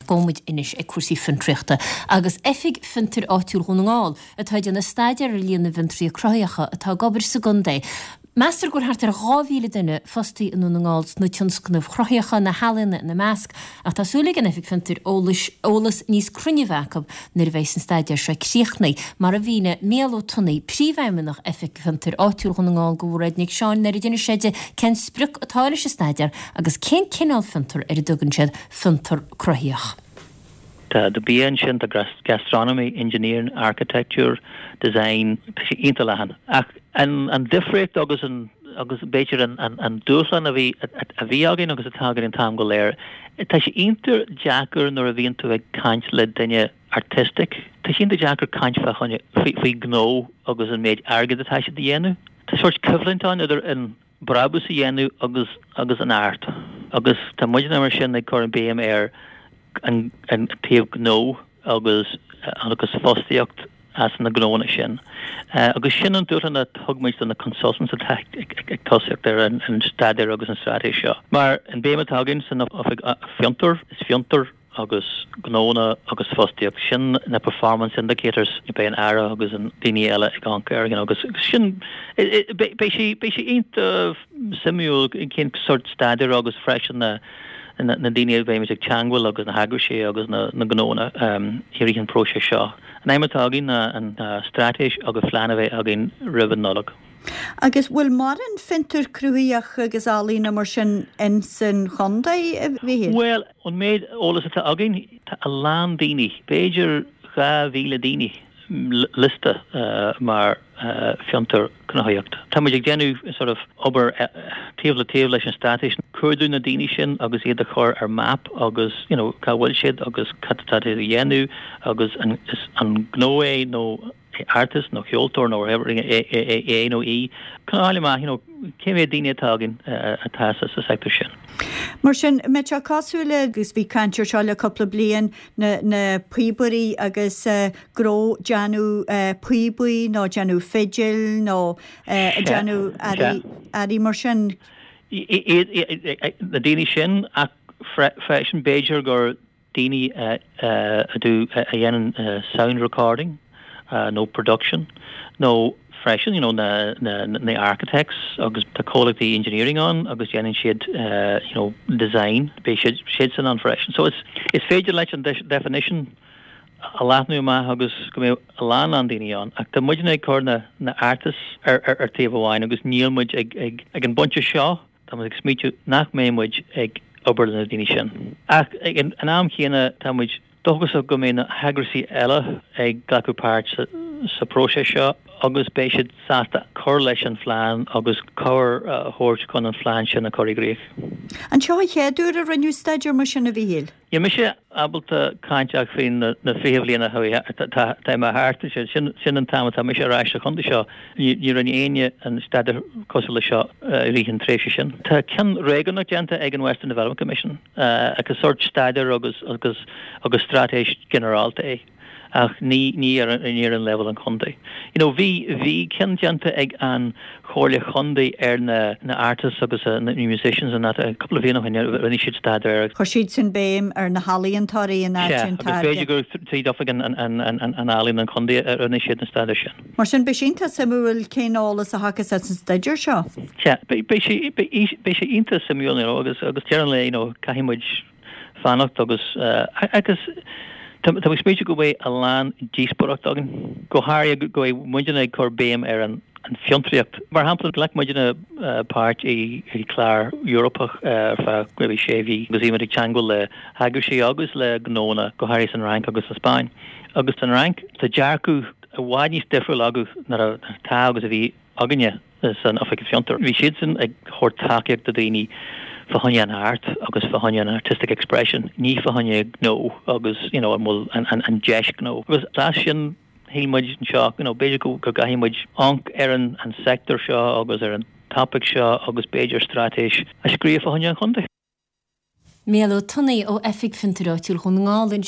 Gabhfaidh muid anois ag cúrsaí fiontraíochta agus Oifig Fiontair Áitiúil Dhún na nGall atá ag déanamh staidéar ar líon na bhfiontraithe cruthaitheacha atá ag obair sa gcontae. Meastar go bhfuil thart ar 2,000 duine fostaithe i nDún na nGall sna tionscnaimh chruthaitheacha, na healaíona ina measc, ach tá súil ag an Oifig Fiontair eolais eolas níos cruinne a bheith acu nuair a bheidh an staidéar seo críochnaithe, mar a mhínigh Mícheál Ó Tonnaigh, Príomhfheidhmeannach Oifig Fiontair Áitiúil Dhún na nGall do Mhairéad Nic Seáin nuair a d'inis sé di cén sprioc atá leis an staidéar agus cén cineál fiontar ar a dtugann siad fiontar cruthaitheach. Tá do bia ansin, tá gastronomy, engineering, architecture, design, tá sé iontach leathan. Ach an difríocht agus an agus b'fhéidir an dúshlán a bhí a bhí againn agus atá againn an t-am go léir, tá sé iontach deacair nuair a bhíonn tú ag caint le duine artistic, tá sé iontach deacair caint fá choinne faoi gnó agus an méid airgid atá siad a dhéanamh. Tá sórt coimhlint ann idir an brabús a dhéanamh agus agus an art agus tá muidne mar sin ag cur an béim ar an an taobh gnó agus agus fostaíocht as na gnóanna sin. Agus sin an dúshlán a thug muid do na consultants atá ag ag tosaíocht ar an an staidéar agus an straitéis seo. Mar an béim atá againn san Oifig Fiontar, is fiontar agus gnóanna agus fostaíocht, sin na performance indicators a beidh an Aire agus an daoine eile ag amharc air, you know, agus sin, beidh sé, beidh sé iontach suimiúil cén sórt staidéir agus freisin na, na daoine a bheimid ag teangmháil agus na heagraisí agus na, na gnóanna i rith an próiseas seo. An aidhm atá againn ná an straitéis agus phlean a bheith againn roimh an Nollaig. Agus bhfuil mórán fiontar cruthaitheach agus ealaíona mar sin ins an chontae, a Mhíchíl? Bhuel, ón méid eolas atá againn, tá a lán daoine, b'fhéidir 2,000 daoine, liosta mar fiontar cruthaitheacht. Tá muid ag déanamh sort of obair taobh le taobh leis an straitéis, cuardú na daoine sin agus iad a chur ar map agus you know cá bhfuil siad agus cad atá siad a dhéanamh agus an is an gnó é nó artist nó ceoltóir nó whatever é nó í, chun a fháil amach you know cé mhéad daoine atá againn atá sa sector sin. Mar sin, an mbeidh sé cosúil le, agus bhí caint ar seo le cúpla bliain, na na píobairí agus go raibh déanamh píobaí nó déanamh fidil nó déanamh earraí earraí mar sin. Iad na daoine sin ach freisin b'fhéidir gur daoine a a do a dhéanann sound recording nó production nó freisin you know na na na architects agus tá comhlachtaí engineering ann agus déanann siad you know design beidh siad siadsan ann freisin. So is is féidir leis an definition a leathnú amach agus go mbeidh a lán lán daoine ann ach tá muidne ag cur na na artists ar ar ar taobh amháin agus níl muid ag ag ag an bpointe seo Tá muid ag smaoitiú nach mbeidh muid ag obair le na daoine sin. Ach ag an am chéanna tá muid dóchasach go mbeidh na heagraisí eile ag glacadh páirt sa próiseas seo agus beidh siad sásta cur leis an phlean agus cabhair a thabhairt chun an phlean sin a chur i gcrích. An seo an chéad uair a rinneadh staidéar mar sin, a Mhíchíl? Níl mise ábalta caint ach faoi na 20 bhliain a chuaigh atá imithe thart. Sin an t-am atá mise ar ais sa chontae seo. Ní rinne éinne an staidéar cosúil le seo i rith an tréimhse sin. Tá ceann réigiúnach déanta ag an Western Development Commission agus sórt staidéar agus agus agus straitéis ginearálta é. ach ní ní ar ní ar an leibhéal an chontae. You know bhí bhí ceann déanta ag an Chomhairle Chontae ar na na artists agus na musicians and that cúpla bhliain ó shin rinne siad staidéar ar. Chuir siad sin béim ar na healaíontóirí in áit Sea, an agus b'fhéidir táirge. gur tríd oifig an an an an an ealaíon an chontae a rinne siad an staidéar sin. Mar sin beidh sé iontach suimiúil cén eolas a thiocfas as an staidéar seo. Sea, beidh beidh sé beidh beidh sé iontach suimiúil you know agus agus deireadh an lae you know caithfidh muid fanacht agus agus tá mé ag smaoitiú go mbeidh a lán díospóireacht againn, go háirithe go mbeidh muidne ag cur béim ar an fhiontraíocht. Mar shampla, ghlac muidne páirt i clár Eorpach ar feadh maybe sé mhí agus bhí muid ag teangmháil le heagraisí agus le gnóanna, go háirithe san Fhrainc agus sa Spáinn. Agus san Fhrainc, tá dearcadh i bhfad níos difriúil acu ná atá agus a bhí againne san Oifig Fiontar. Bhí siadsan ag thabhairt tacaíocht do daoine fá choinne an art agus fá choinne an artistic expression, ní fá choinne gnó agus you know an bhfuil an deis gnó. Agus as sin shíl muid anseo you know b'fhéidir go gcaithfidh muid amharc ar an an sector seo agus ar an topic seo agus b'fhéidir straitéis a scríobh fá choinne an chontae. Mícheál Ó Tonnaigh ó Oifig Fiontair Áitiúil Dhún na nGall.